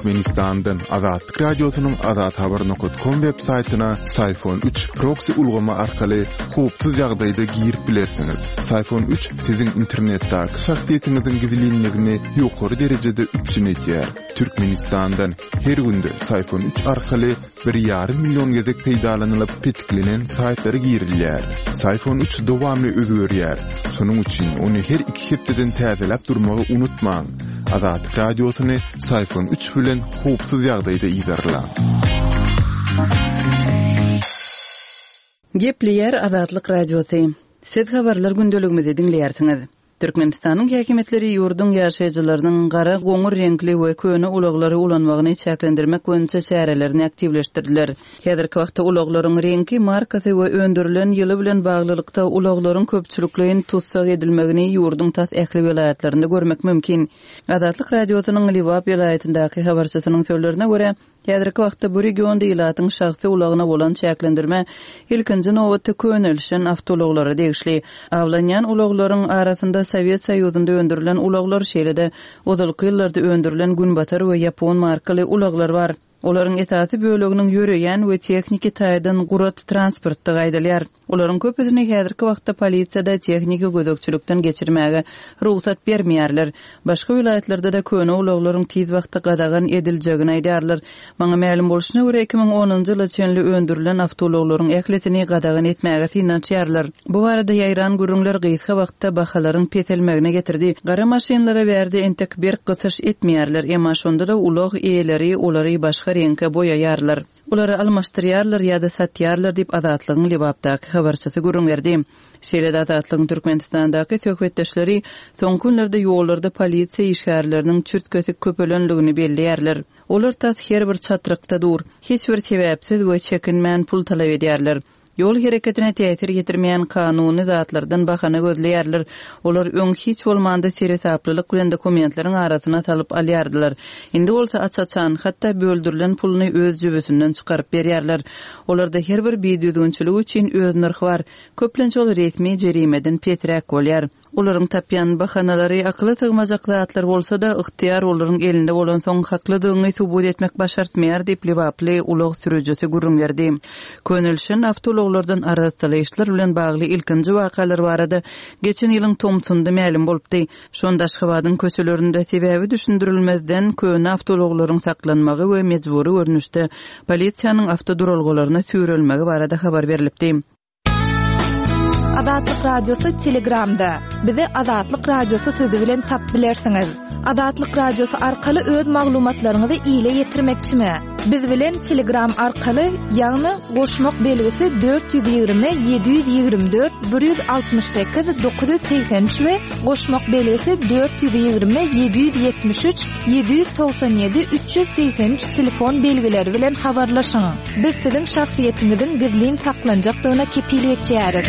Türkmenistandan Azatlyk Radiosynyň azathabar.com web saýtyna Syfon 3 proksi ulgamy arkaly howpsuz ýagdaýda girip bilersiňiz. Syfon 3 siziň internetdäki şahsyýetiňiziň gizlinligini ýokary derejede üpjün edýär. Türkmenistandan her günde Syfon 3 arkaly bir ýarym million gezek peýdalanylyp petiklenen saýtlara girilýär. Syfon 3 dowamly özgerýär. Şonuň üçin ony her iki hepdeden täzeläp durmagy unutmaň. Azatlyk Radiosyny Syfon 3 bilen howpsuz ýagdaýda yzarlaň. Gepleýär Azatlyk Radiosy. Siz habarlar gündeligimizi diňleýärsiňiz. Türkmenistanyň häkimiýetleri ýurduň ýaşaýjylarynyň gara, goňur reňkli we köne ulaglary ulanmagyny çäklendirmek boýunça çärelerini aktiwleşdirdiler. Häzirki wagtda ulaglaryň reňki, markasy we öndürilen ýyly bilen baglylykda ulaglaryň köpçülikleýin tussag edilmegini ýurduň tas ähli welaýatlarynda görmek mümkin. Azatlyk Radiosynyň Lebap welaýatyndaky habarçysynyň sözlerine görä, Häzirki wagtda bu regionda ilatyň şahsy ulagyna bolan çäklendirme ilkinji nobatda könelişen awtoulaglara degişli. Awlanýan ulaglaryň arasynda Sowet Soýuzynda öndürilen ulaglar, şeýle-de ozalky ýyllarda öndürilen günbatar we ýapon markaly ulaglar bar. Olaryň esasy böleginiň ýöreýän we tehniki taýdan gurat transportdygy aýdylýar. Olaryň köpüsini häzirki wagtda polisiýada tehniki gözegçilikden geçirmäge rugsat bermeýärler. Başga welaýatlarda-da köne ulaglaryň tiz wagtda gadagan ediljegini aýdýarlar. Maňa mälim bolşuna görä, 2010-njy ýyla çenli öndürilen awtoulaglaryň ählisini gadagan etmäge synanyşýarlar. Bu barada ýaýran gürrüňler gysga wagtda bahalaryň peselmegine getirdi. Gara maşynlara bärde entek berk gysyş etmeýärler, emma şonda-da ulag eýeleri olary başga reňke boýaýarlar. Olary almaşdyrýarlar ýa-da satýarlar diýip, Azatlygyň Lebapdaky habarçysy gürrüň berdi. Şeýle-de Azatlygyň Türkmenistandaky söhbetdeşleri soňky günlerde ýollarda polisiýa işgärleriniň çürt-kesik köpelendigini belleýärler. Olar tas her bir çatrykda dur. Hiç bir sebäpsiz we çekinmän pul talap edýärler. Ýol hereketine täsir ýetirmeýän kanuny zatlardan bahana gözleýärler. Olar öň hiç bolmanda seresaplylyk bilen dokumentleriň arasyna salyp alýardylar. Indi bolsa aç-açan, hatda böldürilen puluny öz jübüsinden çykaryp berýärler. Olarda her bir bidüzgünçilik üçin öz nyrhy bar. Köplenç ol resmi jerimeden pesräk bolýar. Olaryň tapýan bahanalary akyla sygmajak zatlar bolsa-da, ygtyýar olaryň elinde bolansoň, haklydygyňy subut etmek başartmaýar diýip, lebaply ulag sürüjisi gürrüň berdi. Könelişen awtoulaglardan arassalaýyşlar bilen bagly ilkinji wakalar barada geçen ýylyň tomsunda mälim bolupdy. Şonda Aşgabadyň köçelerinde sebäbi düşündirilmezden köne awtoulaglaryň saklanmagy we mejbury görnüşde polisiýanyň awtoduralgalaryna süýrelmegi barada habar berlipdi. Azatlyk Radiosy Telegramda. Bizi Azatlyk Radiosy sözi bilen tap bilersiňiz. Azatlyk Radiosy arkaly öz maglumatlaryňyzy ile ýetirmekçimi? Biz bilen Telegram arkaly, ýagny goşmak belgisi 420 724 168 983 we goşmak belgisi 420 773 797 383 telefon belgileri bilen habarlaşyň. Biz siziň şahsyýetiňiziň gizlin saklanjakdygyna kepil geçýäris.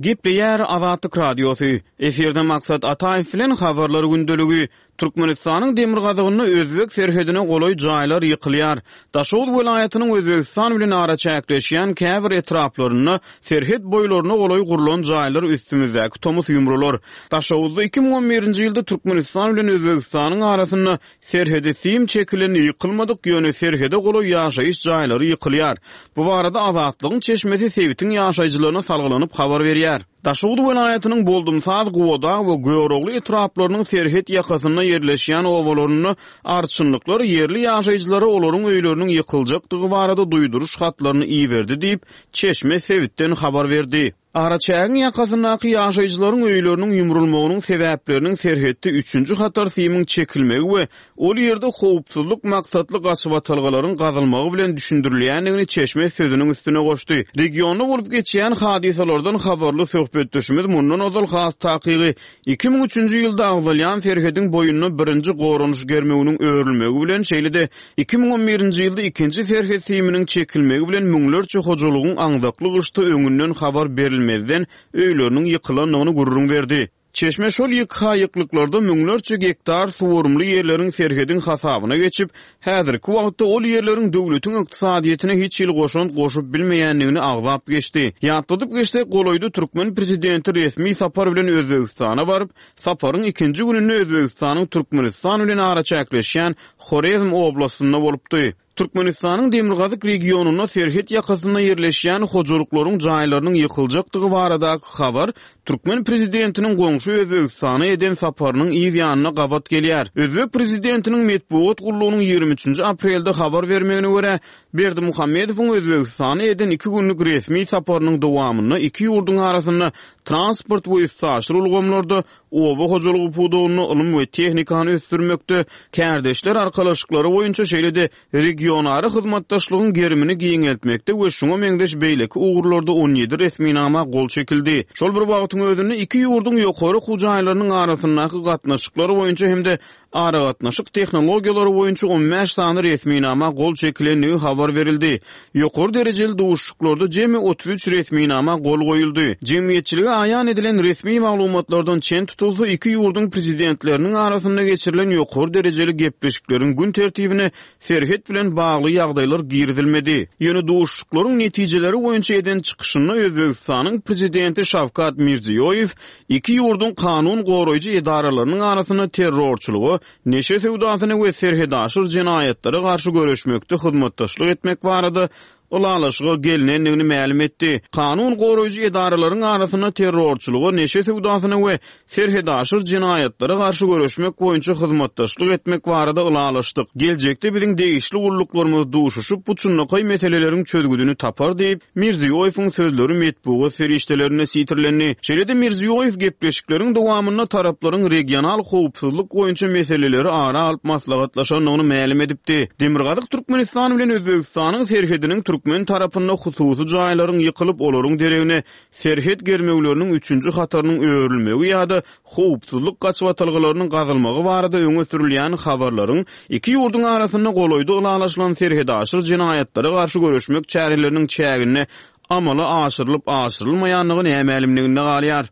Gepleýär Azatlyk Radiosy, Efirde Maksat Ataýew bilen Habarlar gündeligi. Türkmenistanyň demirgazygynda özbek serhedine golaý jaýlar ýykylýar. Daşoguz welaýatynyň Özbegistan bilen araçäkleşýän käbir etraplarynda serhet boýlaryna golaý gurlan jaýlar üstümizdäki tomus ýumrular. Daşoguzda 2011-nji ýylda Türkmenistan bilen Özbegistanyň arasynda Serhede sim çekilen ýykylmadyk, ýöne serhede golaý ýaşaýyş jaýlary ýykylýar. Bu barada Azatlygyň çeşmesi sebitiň ýaşaýjylaryna salgylanyp habar berýär. Daşoguz welaýatynyň Boldumsaz, Gubadag we Görogly etraplarynyň serhet ýakasynda ýerleşýän obalarynda arçynlyklar ýerli ýaşaýjylara olaryň öýleriniň ýykyljakdygy barada duýduryş hatlaryny iberdi diýip, çeşme sebitden habar berdi. Araçägiň ýakasyndaky ýaşaýjylaryň öýleriniň ýumrulmagynyň sebäpleriniň serhetde üçünji hatar simiň çekilmegi we ol ýerde howpsuzlyk maksatly gaçybatalgalaryň gazylmagy bilen düşündirilýändigini çeşme sözüniň üstüne goşdy. Regionda bolup geçýän hadysalardan habarly söhbetdeşimiz mundan ozal has takygy 2003-nji ýylda agzalýan serhediň boýunda birinji goranyş germewiniň örülmegi bilen, şeýle-de 2011-nji ýylda ikinji serhet siminiň çekilmegi bilen müňlerçe hojalygyň aňzakly gyşda öňünden habar berilmezden öýleriniň ýykylandygyny gürrüň berdi. Çeşme şol ýyk-ha-ýyklyklarda müňlerçe gektar suwarymly ýerleriň serhediň hasabyna geçip, häzirki wagtda ol ýerleriň döwletiň ykdysadyýetine hiç hili goşant goşup bilmeýändigini agzap geçdi. Ýatladyp geçsek, golaýda türkmen prezidenti resmi sapar bilen Özbegistana baryp, saparyň ikinji gününde Özbegistanyň Türkmenistan bilen araçäkleşýän Horezm oblastynda bolupdy. Türkmenistanyň demirgazyk regionynda serhet ýakasynda ýerleşýän hojalyklaryň jaýlarynyň ýykyljakdygy baradaky habar türkmen prezidentiniň goňşy Özbegistana eden saparynyň yz ýanyna gabat gelýär. Özbek prezidentiniň metbugat gullugynyň 23-nji aprelde habar bermegine görä, Berdimuhamedowyň Özbegistana eden iki günlük resmi saparynyň dowamynda iki ýurduň arasynda transport we üstaşyr ulgamlarda, oba hojalygy pudagynda ylym we tehnikany ösdürmekde, kärdeşler arkalaşyklary boýunça, şeýle-de regionara hyzmatdaşlygyň gerimini giňeltmekde we şuňa meňzeş beýleki ugurlarda 17 resminama gol çekildi. Şol bir wagtyň özünde iki ýurduň ýokary okuw jaýlarynyň arasyndaky gatnaşyklar boýunça hem-de aragatnaşyk tehnologiýalary boýunça 15 sany resminama gol çekilendigi habar berildi. Ýokary derejeli duşuşyklarda jemi 33 resminama gol goýuldy. Jemgyýetçilige aýan edilen resmi maglumatlardan çen tutulsa, iki ýurduň Prezidentleriniň arasynda geçirilen ýokary derejeli gepleşikleriň gün tertibine serhet bilen bagly ýagdaýlar girizilmedi. Ýöne duşuşyklaryň netijeleri boýunça eden çykyşynda Özbegistanyň Prezidenti Şawkat Mirziýoýew Iki ýurduň kanun goraýjy edaralarynyň arasynda terrorçylyga, neşe söwdasyna we serhetaşyr jenaýatlara garşy göreşmekde hyzmatdaşlyk etmek barada ylalaşyga gelnendigini mälim etdi. Kanun goraýjy edaralaryň arasynda terrorçylyga, neşe söwdasyna we serhetaşyr jenaýatlara garşy göreşmek boýunça hyzmatdaşlyk etmek barada ylalaşdyk. Geljekde biziň degişli gulluklarymyz duşuşyp, bu çynlakaý meseleleriň çözgüdini tapar diýip, Mirziýoýewiň sözleri metbugat serişdelerinde sitirlendi. Şeýle-de Mirziýoýew gepleşikleriň dowamynda taraplaryň regional howpsuzlyk boýunça meseleleri ara alyp maslahatlaşandygyny mälim edipdi. Demirgazyk Türkmenistan bilen Özbegistanyň serhediniň türkmen tarapynda hususy jaýlaryň ýykylyp, olaryň deregine serhet germewleriniň üçünji hatarynyň örülmegi ýa-da howpsuzlyk gaçybatalgalarynyň gazylmagy barada öňe sürülýän habarlaryň iki ýurduň arasynda golaýda ylalaşylan serhetaşyr jenaýatlara garşy göreşmek çäreleriniň çäginde amala aşyrylyp aşyrylmaýandygy nämälimliginde galýar.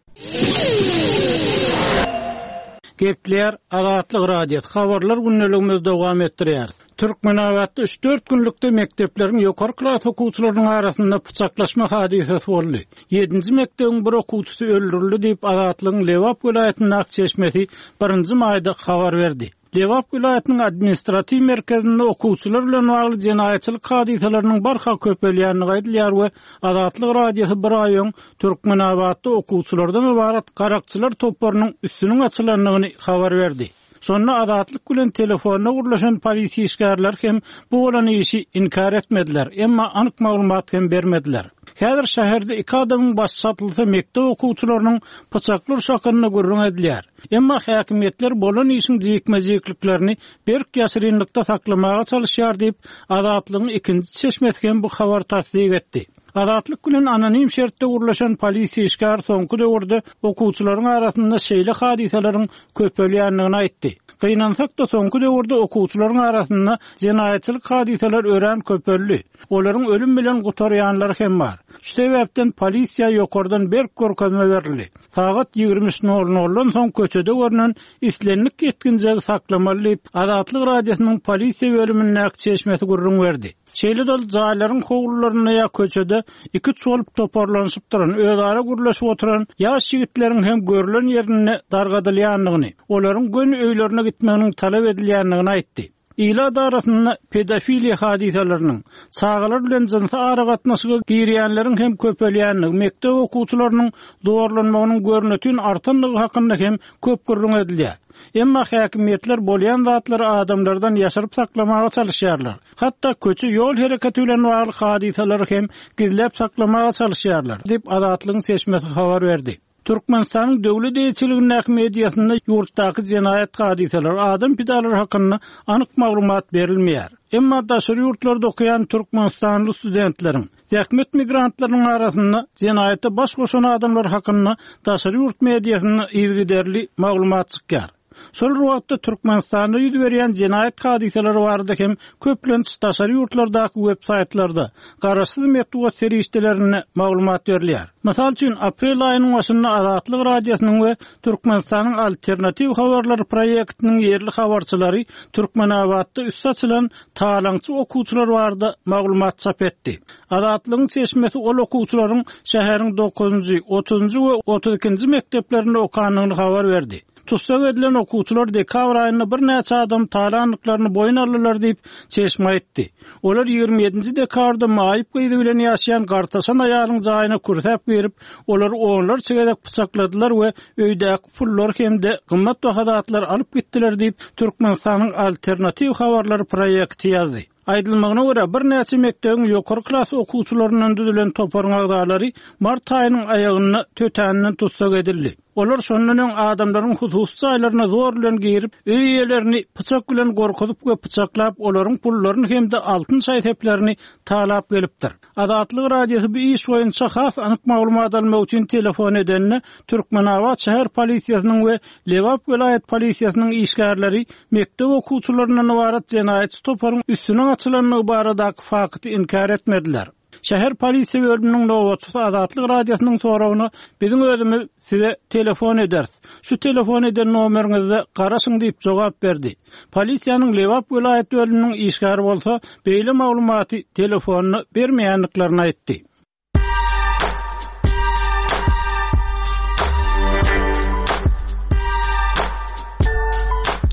Gepleýär Azatlyk Radiosy, Habarlar gündeligimizi dowam etdirýäris. Türkmenabatda üç-dört günlükde mekdepleriň ýokary klas okuwçylarynyň arasynda pyçaklaşma hadysasy boldy. Ýedinji mekdebiň bir okuwçysy öldürildi diýip, Azatlygyň Lebap welaýatyndaky çeşmesi birinji maýda habar berdi. Lebap welaýatynyň administratiw merkezinde okuwçylar bilen bagly jenaýatçylyk hadysalarynyň barha köpelýändigi aýdylýar we Azatlyk Radiosy bir aý öň Türkmenabatda okuwçylardan ybarat garakçylar toparynyň üstüniň açylandygyny habar berdi. Şonda Azatlyk bilen telefonda gürleşen polisiýa işgärleri hem bu bolan işi inkär etmediler, emma anyk maglumat hem bermediler. Häzir şäherde iki adamyň başy çatylsa mekdep okuwçylarynyň pyçakly urşy hakynda gürrüň edilýär. Emma häkimiýetler bolan işiň jikme-jikliklerini berk ýaşyrynlykda saklamaga çalyşýar diýip, Azatlygyň ikinji çeşmesi hem bu habary tassyk etdi. Azatlyk bilen anonim şertde gürleşen polisiýa işgäri soňky döwürde okuwçylaryň arasynda şeýle hadysalaryň köpelýändigini aýtdy. Gynansak-da, soňky döwürde okuwçylaryň arasynda jenaýatçylyk hadysalar örän köpeldi. Olaryň ölüm bilen gutarýanlary hem bar. Şu sebäpden polisiýa ýokardan berk görkezme berildi. Sagat 23 nol noldan soň köçede görnen islendik ýetginjegi saklamaly diýip, Azatlyk Radiosynyň polisiýa bölümindäki çeşmesi gürrüň berdi. Şeýle-de ol jaýlaryň howlularynda ýa köçede iküç bolup toparlanyşyp duran, özara gürleşip oturan ýaş ýigitleriň hem görlen ýerinde dargadylýandygyny, olaryň göni öýlerine gitmeginiň talap edilýändigini aýtdy. Ilat arasynda pedofiliýa hadysalarynyň, çagalar bilen jynsy aragatnaşyga girýänleriň hem köpelýändigi, mekdep okuwçylarynyň zorlanmagynyň görnetin artandygy hakynda hem köp gürrüň edilýär. Emma häkimiýetler bolýan zatlary adamlardan ýaşyryp saklamaga çalyşýarlar. Hatda köçe ýol hereketi bilen bagly hadysalary hem gizläp saklamaga çalyşýarlar, diýip, Azatlygyň çeşmesi habar berdi. Türkmenistanyň döwlet eýeçiligindäki mediasynda ýurtdaky jenaýat hadysalary, adam pidalary hakynda anyk maglumat berilmeýär. Emma daşary ýurtlarda okaýan türkmenistanly studentleriň, zähmet migrantlarynyň arasynda jenaýata baş goşan adamlar hakynda daşary ýurt mediasynda yzygiderli maglumat çykýar. Şol bir wagtda Türkmenistanda ýüz berýän jenaýat hadysalary barada hem köplenç daşary ýurtlardaky web saýtlarda, garaşsyz metbugat serişdelerinde maglumat berilýär. Mysal üçin, aprel aýynyň başynda Azatlyk Radiosynyň we Türkmenistanyň Alternatiw habarlary proýektiniň ýerli habarçylary Türkmenabatda üsti açylan talaňçy okuwçylar barada maglumat çap etdi. Azatlygyň çeşmesi ol okuwçylaryň şäheriň dokuzynjy, otuzynjy we 32-nji mekdeplerinde okandygyny habar berdi. Tussag edilen okuwçylar dekabr aýynda birnäçe adamy talandyklaryny boýun aldylar diýip, çeşme aýtdy. Olar 27-nji dekabrda maýyp gyzy bilen ýaşaýan gartaşan aýalyň jaýyna kürsäp girip, olary onlarça gezek pyçakladylar we öýdäki pullary hem-de gymmatbaha zatlary alyp gitdiler diýip, Türkmenistanyň Alternatiw habarlary proýekti ýazdy. Aýdylmagyna görä, birnäçe mekdebiň ýokary klas okuwçylaryndan düzülen toparyň agzalary mart aýynyň aýagynda tötänden tussag edildi. Olar şondan öň adamlaryň hususy jaýlaryna zor bilen girip, öý eýelerini pyçak bilen gorkuzyp we pyçaklap, olaryň pullaryny hem-de altyn şaý-seplerini talap gelipdir. Azatlyk Radiosy bu iş boýunça has anyk maglumat almak üçin telefon edende, Türkmenabat şäher polisiýasynyň we Lebap welaýat polisiýasynyň işgärleri mekdep okuwçylaryndan ybarat jenaýatçy toparyň üstüniň açylandygy baradaky fakty inkär etmediler. Şäher polisiýa bölüminiň nobatçysy Azatlyk Radiosynyň soragyna biziň özümiz size telefon ederis. Şu telefon eden nomeriňizde garaşyň diýip jogap berdi. Polisiýanyň Lebap welaýat bölüminiň işgäri bolsa beýle maglumaty telefonda bermeýändiklerini aýtdy.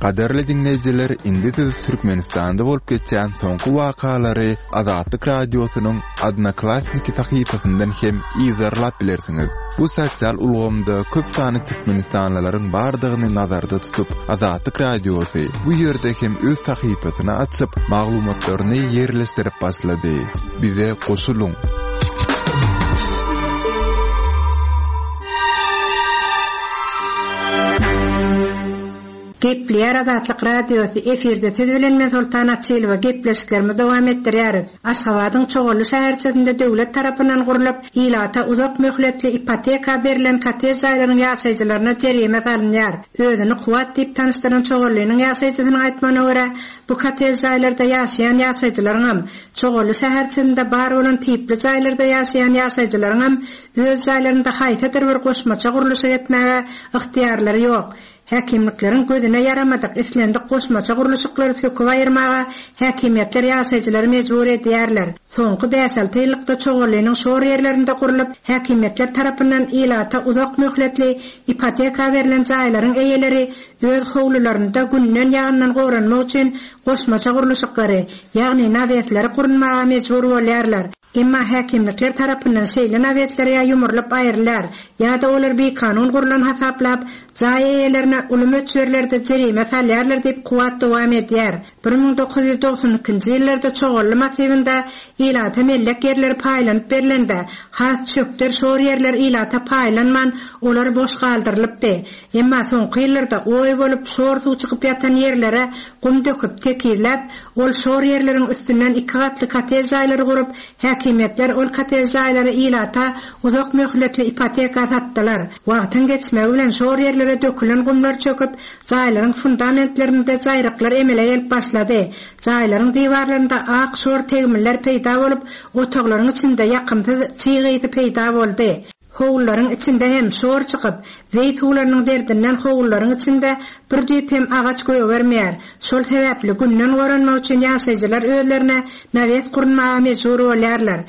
Gadyrly diňleýjiler, indi siz Türkmenistanda bolup geçýän soňky wakalary Azatlyk Radiosynyň Odnoklassniki sahypasyndan hem yzarlap bilersiňiz. Bu sosial ulgamda köp sanly türkmenistanlylaryň bardygyny nazarda tutup, Azatlyk Radiosy bu ýerde hem öz sahypasyny açyp, maglumatlaryny ýerleşdirip başlady. Bize goşulyň! Gepleýär Azatlyk Radiosy, efirde siz bilen men Soltan Açylowa, gepleşiklerimizi dowam etdirýäris. Aşgabadyň Çogally şäherçesinde döwlet tarapyndan gurlup, ilata uzak möhletli ipoteka berlen kottej jaýlaryň ýaşaýjylaryna jerime salynýar. Özüni Kuwat diýip tanyşdyran Çogallynyň ýaşaýjysynyň aýtmagyna görä, bu kottej jaýlarda ýaşaýan ýaşaýjylaryňam, Çogally şäherçesinde bar bolan tipli jaýlarda ýaşaýan ýaşaýjylaryňam öz jaýlarynda haýsydyr bir goşmaça gurluşyk etmäge ygtyýarlary ýok. Häkimlikleriň gözüne ýaramadyk islendik goşmaça gurluşyklary söküp aýyrmaga häkimiýetler ýaşaýjylary mejbur edýärler. Soňky bäş-alty ýyllykda Çoganlynyň şor ýerlerinde gurlup, häkimiýetler tarapyndan ilata uzak möhletli ipoteka berlen jaýlaryň eýeleri öz howlularynda günden-ýagyndan goranmak üçin goşmaça gurluşyklary, ýagny nawesleri gurunmaga mejbur bolýarlar. Emma häkimlikler tarapyndan şeýle nawesler ýa ýumrulyp aýrylýar, ýa-da olar bikanun gurlan hasaplap, jaý eýelerine uly möçberlerde jerime salýarlar diýip, Kuwat dowam edýär. 1992-nji ýyllarda Çogally massiwinde ilata mellek ýerleri paýlanyp berlende, has çökder şor ýerler ilata paýlanman, olar boş galdyrylypdy. Emma soňky ýyllarda oý bolup, şor suw çykyp ýatan ýerlere gum döküp, tekizläp, ol şor ýerleriň üstünden iki gatly kottej jaýlary gurup, häkimiýetler ol kottej jaýlary ilata uzak möhletli ipoteka satdylar. Wagtyň geçmegi bilen şor ýerlere dökülen gumlar çöküp, jaýlaryň fundamentlerinde jaýryklar emele gelip başlady. Jaýlaryň diwarlarynda ak şor tegmiller peýda bolup, otaglaryň içinde ýakymsyz çyg ysy peýda boldy. Howlularyň içinde hem şor çykyp, zeý suwlarynyň derdinden howlularyň içinde bir düýp hem agaç gögermeýär. Şol sebäpli günden goranmak üçin ýaşaýjylar özlerine nawes gurunmaga mejbur bolýarlar.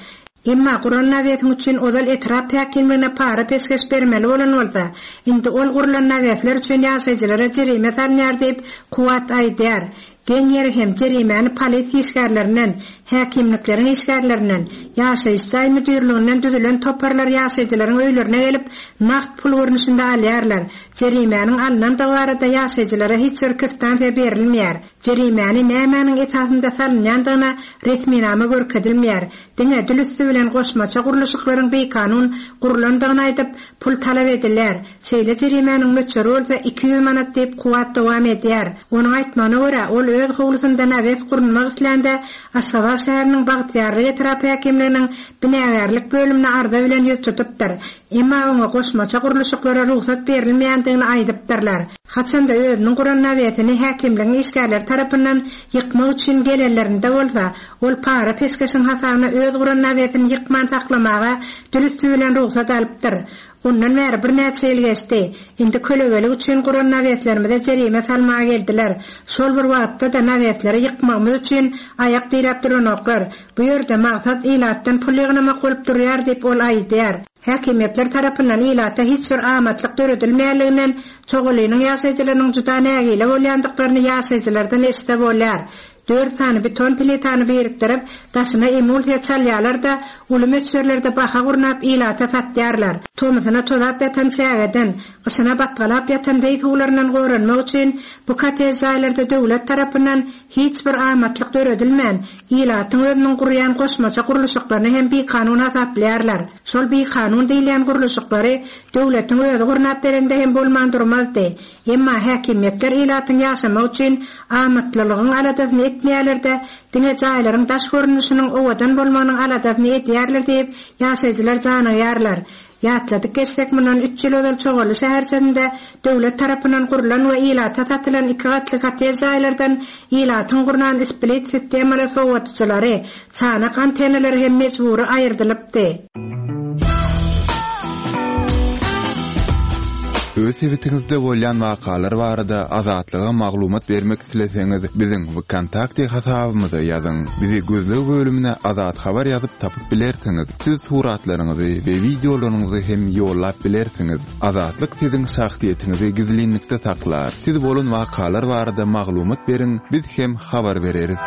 Emma guran nawesiň üçin ozal etrap häkimligine para-peşgeş bermeli bolan bolsa, indi ol gurlan nawesler üçin ýaşaýjylara jerime salynýar diýip, Kuwwat aýdýar. Geň ýeri hem, jerimäni polisiýa işgärlerinden, häkimlikleriň işgärlerinden, ýaşaýyş jaý müdirliginden düzülen toparlar ýaşaýjylaryň öýlerine gelip, nagt pul görnüşinde alýarlar. Jerimäniň alnandygy barada ýaşaýjylara hiç bir kwitansiýa berilmeýär. Jerimäni nämäniň esasynda salynýandygyna resminama görkezilmeýär. Diňe dil üsti bilen goşmaça gurluşyklaryň bikanun gurlandygyny aýdyp, pul talap edilýär. Şeýle jerimäniň möçberi bolsa 200 manat diýip, Kuwwat dowam edýär. Onuň aýtmagyna görä, ol öz howlusynda nawes gurunmak islände, Aşgabat şäheriniň Bagtyýarlyk etrap häkimliginiň binagärlik bölümine arza bilen ýüz tutupdyr. Emma oňa goşmaça gurluşyklara rugsat berilmeýändigini aýdypdyrlar. Haçanda özüniň guran nawesini häkimligiň işgärleri tarapyndan ýykmak üçin gelenlerinde bolsa, ol para-peşgeşiň hasabyna öz guran nawesini ýykman saklamaga dil üsti bilen rugsat alypdyr. Ondan bäri birnäçe ýyl geçdi. Indi kölegelik üçin guran naweslerimize jerime salmaga geldiler. Şol bir wagtda-da nawesleri ýykmagymyz üçin aýak diräp duranoklar. Bu ýerde maksat ilatdan pul ýygnamak bolup durýar diýip, ol aýdýar. Häkimiýetler tarapyndan ilata hiç bir amatlyk döredilmeýänliginden Çogalynyň ýaşaýjylarynyň juda nägile bolýandyklaryny ýaşaýjylardan eşitse bolýar. Dört sany beton plitany birikdirip, daşyna emulsiýa çalýarlar-da, uly möçberlerde baha gurnap ilata satýarlar. Tomusyna tozap ýatan çägeden, gyşyna batgalap ýatan zeý suwlaryndan goranmak üçin bu kottej jaýlarda döwlet tarapyndan hiç bir amatlyk döredilmän, ilatyň özüniň gurýan goşmaça gurluşyklaryny hem bikanun hasaplaýarlar. Şol bikanun diýilýän gurluşyklary döwletiň özi gurnap berende hem bolman durmazdy. Emma häkimiýetler ilatyň ýaşamagy üçin amatlylygyň aladasyny etmeýärler-de, diňe jaýlaryň daş görnüşiniň owadan bolmagynyň aladasyny edýärler diýip, ýaşaýjylar janygýarlar. Ýatladyp geçsek, mundan üç ýyl ozal Çoganly şäherçesinde döwlet tarapyndan gurlan we ilata satylan iki gatly kottej jaýlardan ilatyň gurnan split sistemaly sowadyjylary, çanak antennalary hem mejbury aýyrdylypdy. Öz sebitiňizde bolýan wakalar barada Azatlyga maglumat bermek isleseňiz, biziň Wkontakte hasabymyza ýazyň. Bizi gözleg bölümine Azat Habar ýazyp tapyp bilersiňiz. Siz suratlaryňyzy we wideolaryňyzy hem ýollap bilersiňiz. Azatlyk siziň şahsyýetiňizi gizlinlikde saklar. Siz bolan wakalar barada maglumat beriň, biz hem habar bereris.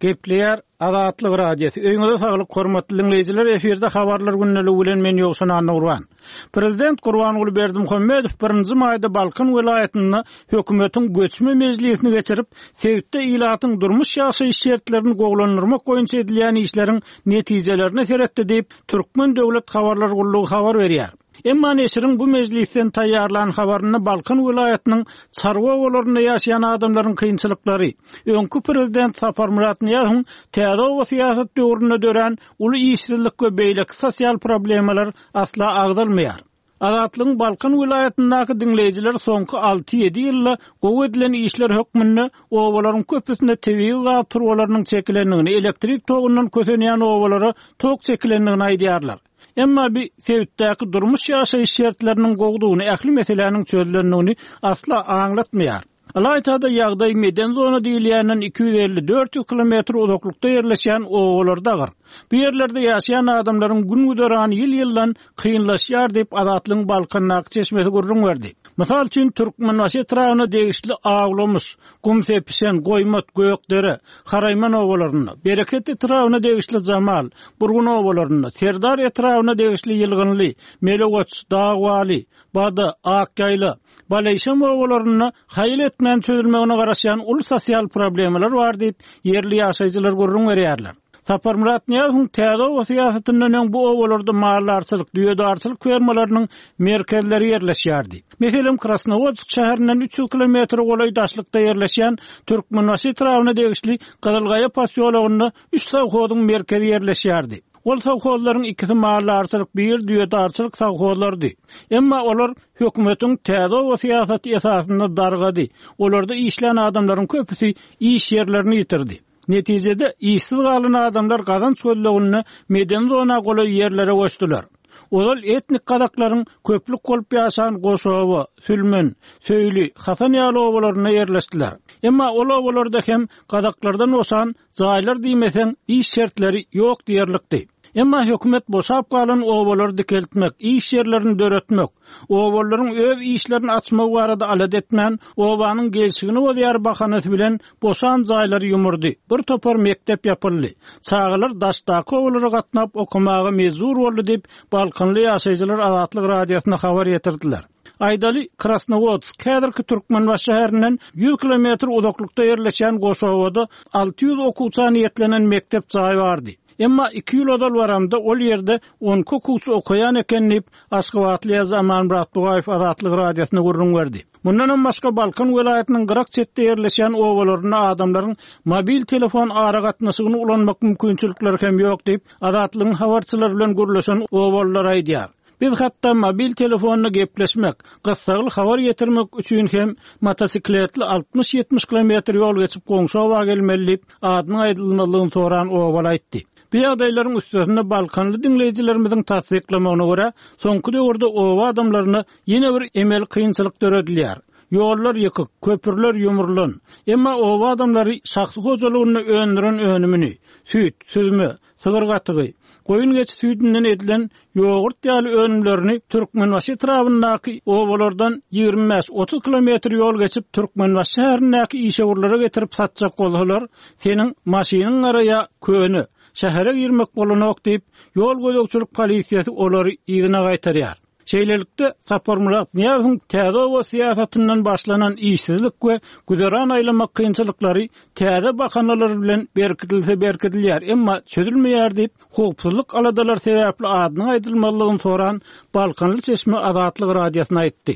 Gepleýär Azatlyk Radiosy. Öýüňize saglyk, hormatly diňleýjiler, efirde Habarlar gündeligi bilen men Ýowşan Annagurban. Prezident Gurbanguly Berdimuhamedow birinji maýda Balkan welaýatynda hökümetiň göçme mejlisini geçirip, sebitde ilatyň durmuş-ýaşaýyş şertlerini gowulandyrmak boýunça edilýän işleriň netijelerine seretdi diýip, Türkmen döwlet habarlar gullugy habar berýär. Emma neşiriň bu mejlisden taýýarlan habarynda Balkan welaýatynyň çarwa obalarynda ýaşaýan adamlaryň kynçylyklary, öňki prezident Saparmyrat Nyýazowyň täze oba syýasat döwründe dörän uly işsizlik we beýleki sosial problemalar asla agzalmaýar. Azatlygyň Balkan welaýatyndaky diňleýjileri soňky alty-ýedi ýylda gowy edilen işler hökmünde obalaryň köpüsinde tebigy gaz turbalarynyň çekilendigini, elektrik togundan kösenýän obalara tok çekilendigini aýdýarlar. Emma bi sebitdäki durmuş-ýaşaýyş şertleriniň gowudygyny, ähli meseläniň çözlendigini asla aňlatmaýar. Ylaýta-da ýagdaý meden zona diýilýänden 250-400 kilometr uzaklykda ýerleşýän obalarda agyr. Bu ýerlerde ýaşaýan adamlaryň gün-güzerany ýyl-ýyldan kynlaşýar diýip, Azatlygyň Balkandaky çeşmesi gürrüň berdi. Mysal üçin, Türkmenbaşy etrabyna degişli Awlamyş, Gumsepişen, Goýmat, Gökdere, Haraýman obalarynda, Bereket etrabyna degişli Jamal, Burgun obalarynda, Serdar etrabyna degişli Ýylgynly, Melegoç, Dagbaly, Bada, Akýaýla, Baleýşem obalarynda haýal etmän çözülmegine garaşýan uly sosial problemalar bar diýip, ýerli ýaşaýjylar gürrüň berýärler. Saparmyrat Nyýazowyň täze oba syýasatyndan öň bu obalarda maldarçylyk, düýedarçylyk fermalarynyň merkezleri ýerleşýärdi. Meselem, Krasnowodsk şäherinden 300 kilometre golaý daşlykda ýerleşýän Türkmenbaşy etrabyna degişli Gyzylgaýa posýologynda üç sowhozyň merkezi ýerleşýärdi. Ol sowhozlaryň ikisi maldarçylyk, biri düýedarçylyk sowhozlarydy. Emma olar hökümetiň täze oba syýasaty esasynda dargady, olarda işlän adamlaryň köpüsi iş ýerlerini ýitirdi. Netijede, işsiz galan adamlar gazanç gözleginde medeni zona golaý ýerlere göçdüler. Ozal etnik gazaklaryň köplük bolup ýaşan Goşoba, Sülmen, Söýli, Hasan ýaly obalarynda ýerleşdiler. Emma ol obalarda hem gazaklardan boşan jaýlar diýmeseň, iş şertleri ýok diýerlikdi. Emma hökümet boşap galan obalary dikeltmek, iş ýerlerini döretmek, obalylaryň öz işlerini açmagy barada alada etmän, obanyň gelşigini bozýar bahanasy bilen boşan jaýlary ýumurdy, bir topar mekdep ýapyldy. Çagalar daşdaky obalara gatnap okamaga mejbur boldy diýip, balkanly ýaşaýjylar Azatlyk Radiosyna habar ýetirdiler. Aýdaly, Krasnowodsk, häzirki Türkmenbaşy şäherinden ýüz kilometr uzaklykda ýerleşýän Goşobada 600 okuwça niýetlenen mekdep jaýy bardy. Emma iki ýyl ozal baramda ol ýerde on iki okuwçy okaýan eken diýip, aşgabatly ýazyjy Amanmyrat Bugaýew Azatlyk Radiosyna gürrüň berdi. Mundanam başga Balkan welaýatynyň gyrak çetde ýerleşýän obalarynda adamlaryň mobil telefon aragatnaşygyny ulanmak mümkinçilikleri hem ýok diýip, Azatlygyň habarçylary bilen gürleşen obalylar aýdýar. Biz hatda mobil telefonda gepleşmek, gyssagly habar ýetirmek üçin hem motosikletli altmyş-ýetmiş kilometr ýol geçip goňşy oba gelmeli diýip, adynyň aýdylmazlygyny soran obaly aýtdy. Bu ýagdaýlaryň üstesine balkanly diňleýjilerimiziň tassyklamagyna görä, soňky döwürde oba adamlaryna ýene bir emeli kynçylyk döredilýär. Ýollar ýykyk, köprüler ýumrulan. Emma oba adamlary şahsy hojalygynda öndüren önümini, süýt, süzme, sygyr gatygy, goýun-geçi süýdünden edilen ýogurt ýaly önümlerini Türkmenbaşy etrabyndaky obalardan 25-30 kilometr ýol geçip Türkmenbaşy şäherindäki işewürlere getirip satjak bolsalar, seniň maşynyň gara ýa köne, şähere girmek bolanok diýip, ýol gözegçilik polisiýasy olary yzyna gaýtarýar. Şeýlelikde, Saparmyrat Nyýazowyň täze oba syýasatyndan başlanan işsizlik we güzeran aýlamak kynçylyklary täze bahanalar bilen berkidilse berkidilýär, emma çözülmeýär diýip, howpsuzlyk aladalary sebäpli adynyň aýdylmazlygyny soran balkanly çeşme Azatlyk Radiosyna aýtdy.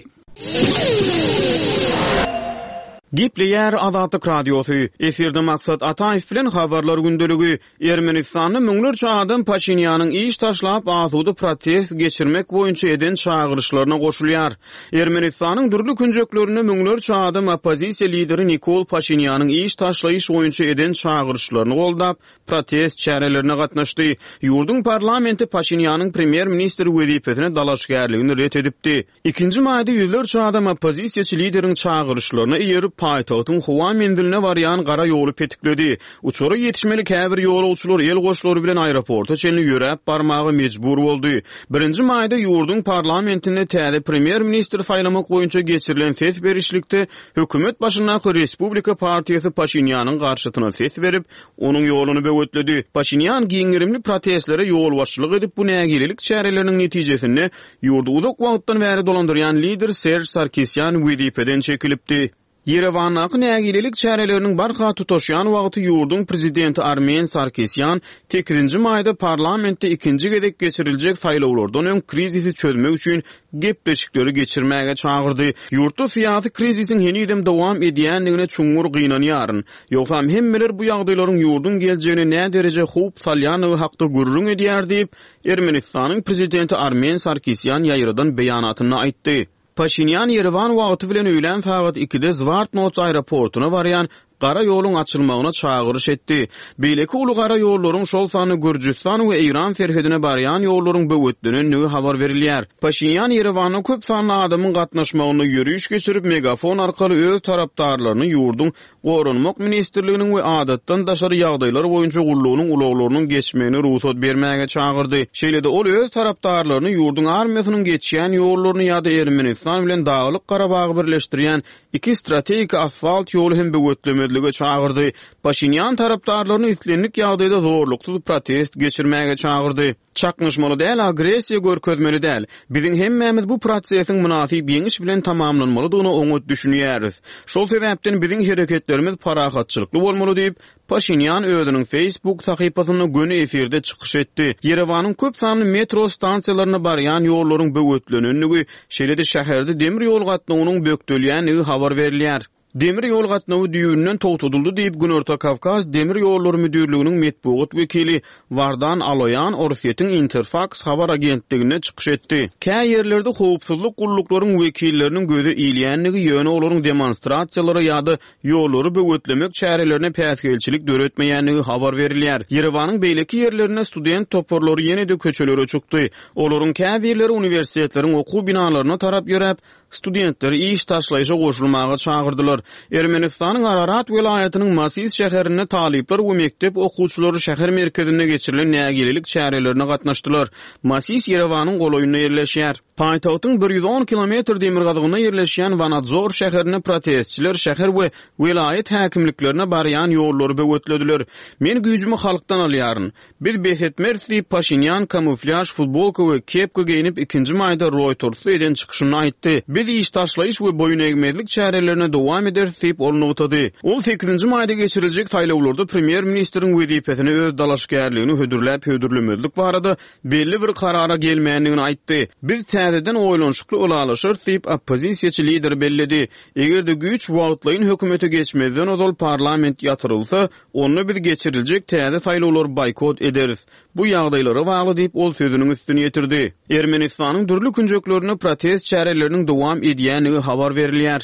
Gepleýär Azatlyk Radiosy, Efirde Maksat Ataýew bilen Habarlar gündeligi. Ermenistanda müňlerçe adam Paşinýanyň iş taşlap asuda protest geçirmek boýunça eden çagyryşlaryna goşulýar. Ermenistanyň dürli künjeklerinde müňlerçe adam oppozisiýa lideri Nikol Paşinýanyň iş taşlaýyş boýunça eden çagyryşlaryny goldap, protest çärelerine gatnaşdy. Ýurduň parlamenti Paşinýanyň premýer-ministr wezipesine dalaşgärligini ret edipdi. Ikinji maýda ýüzlerçe adam oppozisiýaçy lideriň çagyryşlaryna eýerip, paýtagtyň howa menziline barýan gara ýoly petikledi. Uçara ýetişmeli käbir ýolagçylar el goşlary bilen aeroporta çenli ýöräp barmaga mejbur boldy. Birinji maýda ýurduň parlamentinde täze premýer-ministr saýlamak boýunça geçirilen ses berişlikde hökümet başyndaky Respublika partiýasy Paşinýanyň garşysyna ses berip, onuň ýoluny böwetledi. Paşinýan giň gerimli protestlere ýolbaşçylyk edip, bu nägilelik çäreleriniň netijesinde Ýurdy uzak wagtdan bäri dolandyrýan lider Serž Sarkisýan wezipeden çekilipdi. Ýerewandaky nägilelik çäreleriniň barha tutaşýan wagty ýurduň prezidenti Armen Sarkisýan sekizinji maýda parlamentde ikinji gezek geçiriljek saýlawlardan öň krizisi çözmek üçin gepleşikleri geçirmäge çagyrdy. Ýurtda syýasy krizisiň henizem dowam edýändigine çuňňur gynanýaryn. Ýogsam hemmeler bu ýagdaýlaryň ýurduň geljegine nädereje howp salýandygy hakda gürrüň edýär diýip, Ermenistanyň prezidenti Armen Sarkisýan ýaýradan beýanatynda aýtdy. Paşinýan Ýerewan wagty bilen öýlän sagat ikide Zwartnots aeroportuna barýan gara ýoluň açylmagyna çagyryş etdi. Beýleki uly gara ýollaryň, şol sanda Gürjüstan we Eýran serhedine barýan ýollaryň böwetlenendigi habar berilýär. Paşinýan Ýerewanda köp sanly adamyň gatnaşmagynda ýöriş geçirip, megafon arkaly öz tarapdarlaryny ýurduň Goranmak ministrliginiň we Adatdan daşary ýagdaýlar boýunça gullugynyň ulaglarynyň geçmegine rugsat bermäge çagyrdy. Şeýle-de ol öz tarapdarlaryny ýurduň armiýasynyň geçýän ýollaryny ýa-da Ermenistan bilen Daglyk Garabagy birleşdirýän iki strategik asfalt ýoly hem böwetlemezlige çagyrdy. Paşinýan tarapdarlaryny islendik ýagdaýda zorluksyz protest geçirmäge çagyrdy. Çaknyşmaly däl, agressiýa görkezmeli däl. Biziň hemmämiz bu prosesiň mynasyp ýeňiş bilen tamamlanmalydygyna oňat düşünýäris. Şol sebäpden biziň hereketlerimiz parahatçylykly bolmaly diýip, Paşinýan özüniň Facebook sahypasynda göni efirde çykyş etdi. Ýerewanyň köp sanly metro stansiýalaryna barýan ýollaryň böwetlenendigi, şeýle-de şäherde demir ýol gatnawynyň bökdelýändigi habar berilýär. Demir ýol gatnawy düýbünden togtadyldy diýip, Günorta Kawkaz demir ýollary müdirliginiň metbugat wekili Wardan Aloýan Orsýetiň Interfaks habar agentliginde çykyş etdi. Kä ýerlerde howpsuzlyk gulluklaryň wekilleriniň göze ilýändigi, ýöne olaryň demonstrasiýalara ýa-da ýollary böwetlemek çärelerine päsgelçilik döretmeýändigi habar berilýär. Ýerewanyň beýleki ýerlerinde student toparlary ýene-de köçelere çykdy. Olaryň käbirleri uniwersitetleriň okuw binalaryna tarap ýöräp, Studentleri iş taşlaýşa goşulmaga çagyrdylar. Ermenistanyň Ararat welaýatynyň Masis şäherinde talyplar we mekdep okuwçylary şäher merkezinde geçirilen nägilelik çärelerine gatnaşdylar. Masis Ýerewanyň golaýynda ýerleşýär. Paýtagtyň 110 kilometr demirgazygynda ýerleşýän Wanadzor şäherinde protestçiler şäher we welaýat häkimliklerine barýan ýollary böwetlediler. Men güýjümi halkdan alýaryn. Biz bes etmeris diýip, Paşinýan kamuflýaž futbolka we kepka geýnip, ikinji maýda Roýtersde eden çykyşynda aýtdy. Biz iş taşlaýyş we boýun egmezlik çärelerine dowam ederis diýip, ol nygtady. Ol sekizinji maýda geçiriljek saýlawlarda premýer-ministriň wezipesine öz dalaşgärligini hödürläp-hödürlemezlik barada belli bir karara gelmändigini aýtdy. Biz täzeden oýlanyşykly ylalaşarys diýip, oppozisiýaçy lider belledi. Eger-de güýç wagtlaýyn hökümete geçmezden ozal parlament ýatyrylsa, onda biz geçiriljek täze saýlawlary boýkot ederis. Bu ýagdaýlara bagly diýip, ol sözüniň üstüni ýetirdi. Ermenistanyň dürli künjeklerinde protest çäreleriniň dowam edýändigi habar berilýär.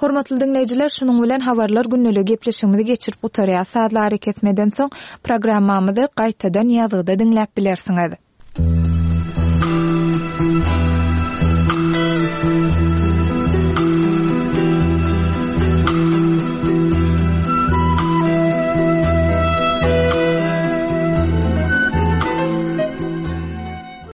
Hormatly diňleýjiler, şunuň bilen Habarlar gündeligi gepleşigimizi geçirip gutarýas. Sazly arakesmeden soň programmamyzy gaýtadan ýazgyda diňläp bilersiňiz.